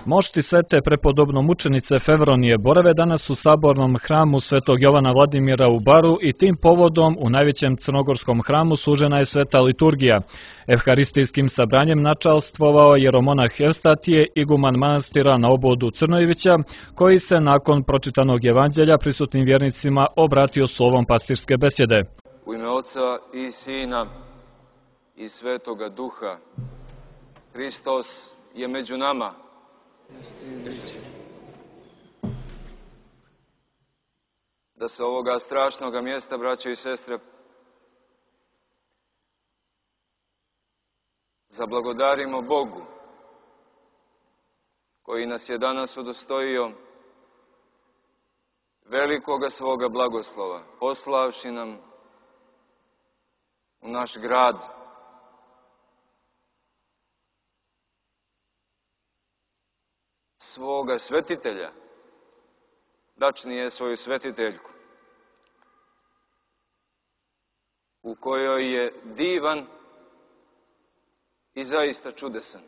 Mošti svete prepodobno mučenice Fevronije borave danas u sabornom hramu Svetog Jovana Vladimira u Baru i tim povodom u najvećem crnogorskom hramu služena je sveta liturgija. Evharistijskim sabranjem načalstvovao jeromonah Evstatije, iguman manastira na Obodu Crnojevića, koji se nakon pročitanog evanđelja prisutnim vjernicima obratio slovom pastirske besjede. U ime Oca i Sina i Svetoga Duha, Hristos je među nama. Da se ovoga strašnoga mjesta, braćo i sestre, zablagodarimo Bogu, koji nas je danas udostojio velikoga svoga blagoslova, poslavši nam u naš grad svoga svetitelja, tačnije svoju svetiteljku, u kojoj je divan i zaista čudesan.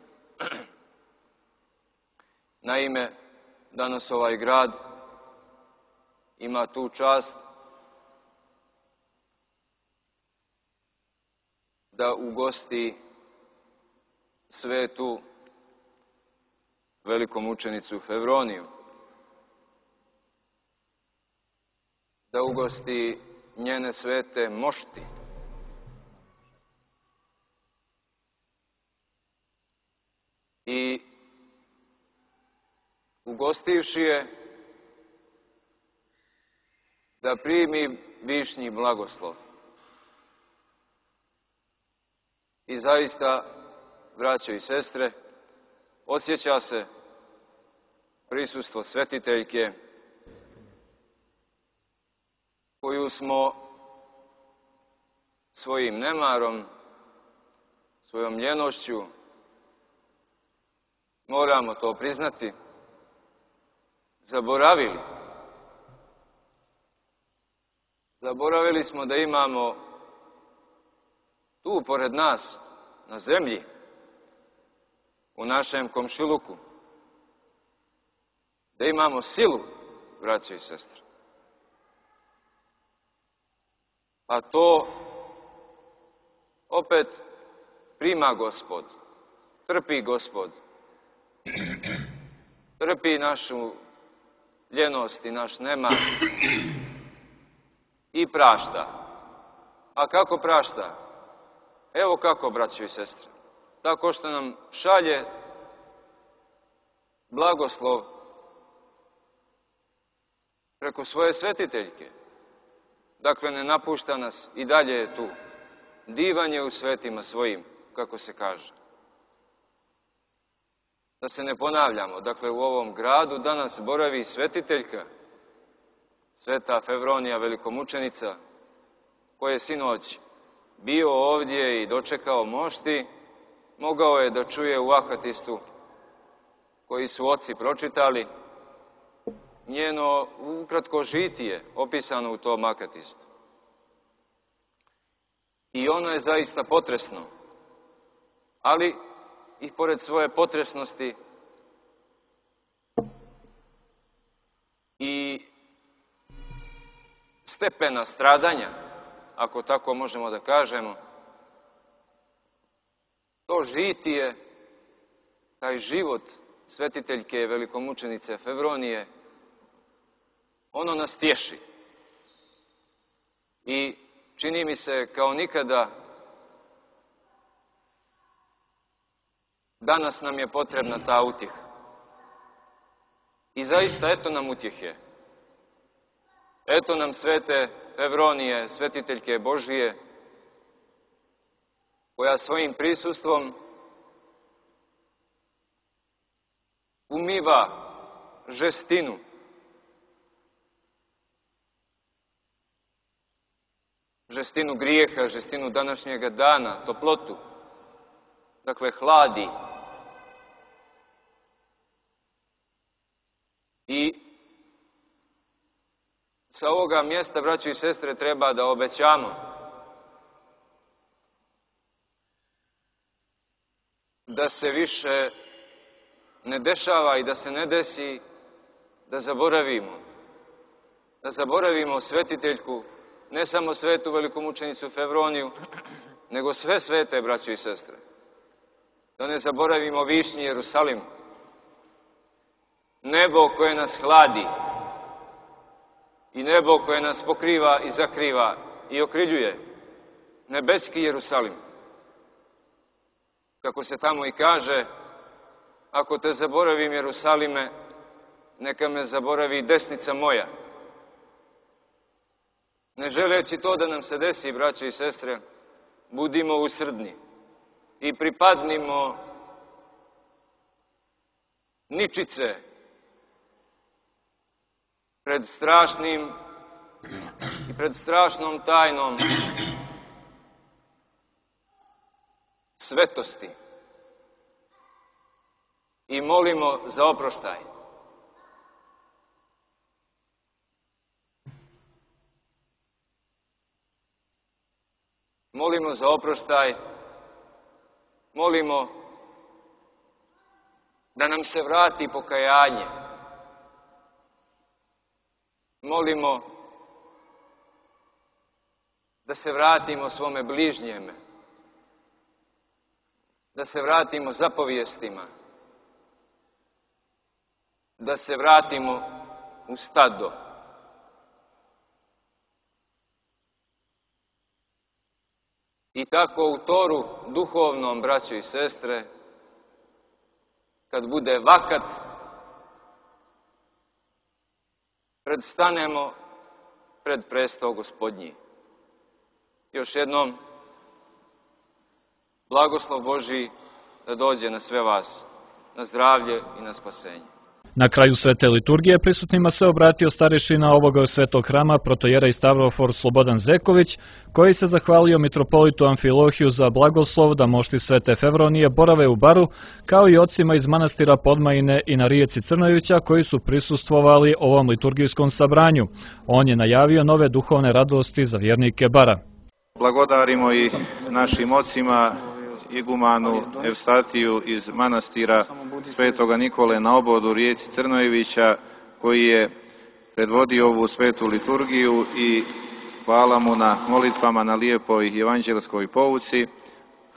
Naime, danas ovaj grad ima tu čast da ugosti svetu velikomučenicu Fevroniju, da ugosti njene svete mošti, i ugostivši je da primi višnji blagoslov. I zaista, braćo i sestre, osjeća se prisustvo svetiteljke koju smo svojim nemarom, svojom ljenošću, moramo to priznati, zaboravili. Zaboravili smo da imamo tu pored nas, na zemlji, u našem komšiluku, da imamo silu, braćo i sestre. A to opet prima Gospod, trpi Gospod, trpi našu ljenost i naš nemar i prašta. A kako prašta? Evo kako, braćo i sestre. Tako što nam šalje blagoslov preko svoje svetiteljke. Dakle, ne napušta nas, i dalje je tu. Divan je u svetima svojim, kako se kaže. Da se ne ponavljamo, dakle, u ovom gradu danas boravi svetiteljka, sveta Fevronija velikomučenica, koja je sinoć bio ovdje i dočekao mošti, mogao je da čuje u akatistu koji su oci pročitali, njeno ukratko žitije opisano u tom akatistu. I ono je zaista potresno, ali i pored svoje potresnosti i stepena stradanja, ako tako možemo da kažemo, to žitije, taj život svetiteljke velikomučenice Fevronije, ono nas tješi. I čini mi se kao nikada danas nam je potrebna ta utjeha. I zaista eto nam utjehe. Eto nam svete Fevronije, svetiteljke Božije, koja svojim prisustvom umiva žestinu, žestinu grijeha, žestinu današnjega dana, toplotu. Dakle, hladi I sa ovoga mjesta, braćo i sestre, treba da obećamo da se više ne dešava i da se ne desi da zaboravimo svetiteljku, ne samo svetu velikomučenicu Fevroniju, nego sve svete, braćo i sestre. Da ne zaboravimo višnji Jerusalim, nebo koje nas hladi i nebo koje nas pokriva i zakriva i okriljuje, nebeski Jerusalim. Kako se tamo i kaže, ako te zaboravim, Jerusalime, neka me zaboravi desnica moja. Ne želeći to da nam se desi, braćo i sestre, budimo usrdni i pripadnimo ničice pred strašnim i pred strašnom tajnom svetosti i molimo za oproštaj. Molimo za oproštaj, molimo da nam se vrati pokajanje. Molimo da se vratimo svome bližnjeme, da se vratimo zapovijestima, da se vratimo u stado. I tako u toru duhovnom, braćo i sestre, kad bude vakat, predstanemo pred prestol Gospodnji. Još jednom, blagoslov Božji da dođe na sve vas, na zdravlje i na spasenje. Na kraju svete liturgije prisutnima se obratio starešina ovoga svetog hrama, protojera i stavrofor Slobodan Zeković, koji se zahvalio mitropolitu Amfilohiju za blagoslov da mošti svete Fevronije borave u Baru, kao i ocima iz manastira Podmajine i na rijeci Crnojevića koji su prisustvovali ovom liturgijskom sabranju. On je najavio nove duhovne radosti za vjernike Bara. Blagodarimo i našim ocima, igumanu Evstatiju iz manastira Svetoga Nikole na obodu rijeci Crnojevića, koji je predvodio ovu svetu liturgiju, i hvala mu na molitvama na lijepoj evanđelskoj pouci.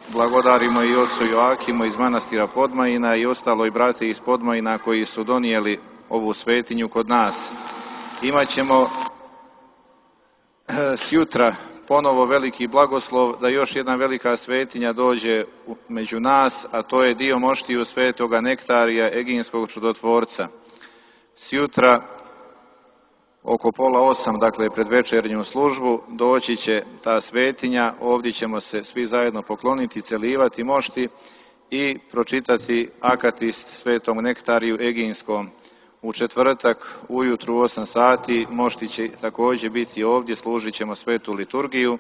Blagodarimo i ocu Joakimu iz manastira Podmajina i ostaloj brate iz Podmajina koji su donijeli ovu svetinju kod nas. Imaćemo sjutra ponovo veliki blagoslov da još jedna velika svetinja dođe među nas, a to je dio moštiju svetoga Nektarija, Eginskog čudotvorca. Sjutra oko 7:30, dakle pred večernju službu, doći će ta svetinja, ovdje ćemo se svi zajedno pokloniti, celivati mošti i pročitati akatist svetom Nektariju Eginskom. U četvrtak ujutru u 8 sati mošti će također biti ovdje, služit ćemo svetu liturgiju,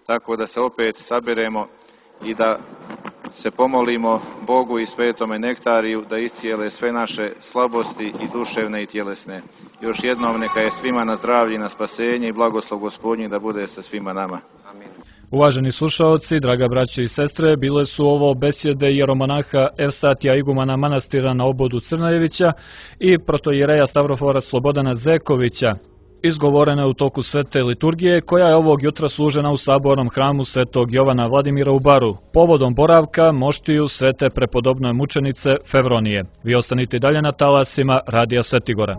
tako da se opet saberemo i da se pomolimo Bogu i svetome Nektariju da iscijele sve naše slabosti i duševne i tjelesne. Još jednom neka je svima na zdravlje i na spasenje i blagoslov Gospodnji da bude sa svima nama. Amin. Uvaženi slušaoci, draga braće i sestre, bile su ovo besjede jeromonaha Evstatija igumana manastira na obodu Crnojevića i protojereja Stavrofora Slobodana Zekovića, izgovorene u toku svete liturgije, koja je ovog jutra služena u sabornom hramu svetog Jovana Vladimira u Baru, povodom boravka moštiju svete prepodobne mučenice Fevronije. Vi ostanite dalje na talasima Radija Svetigora.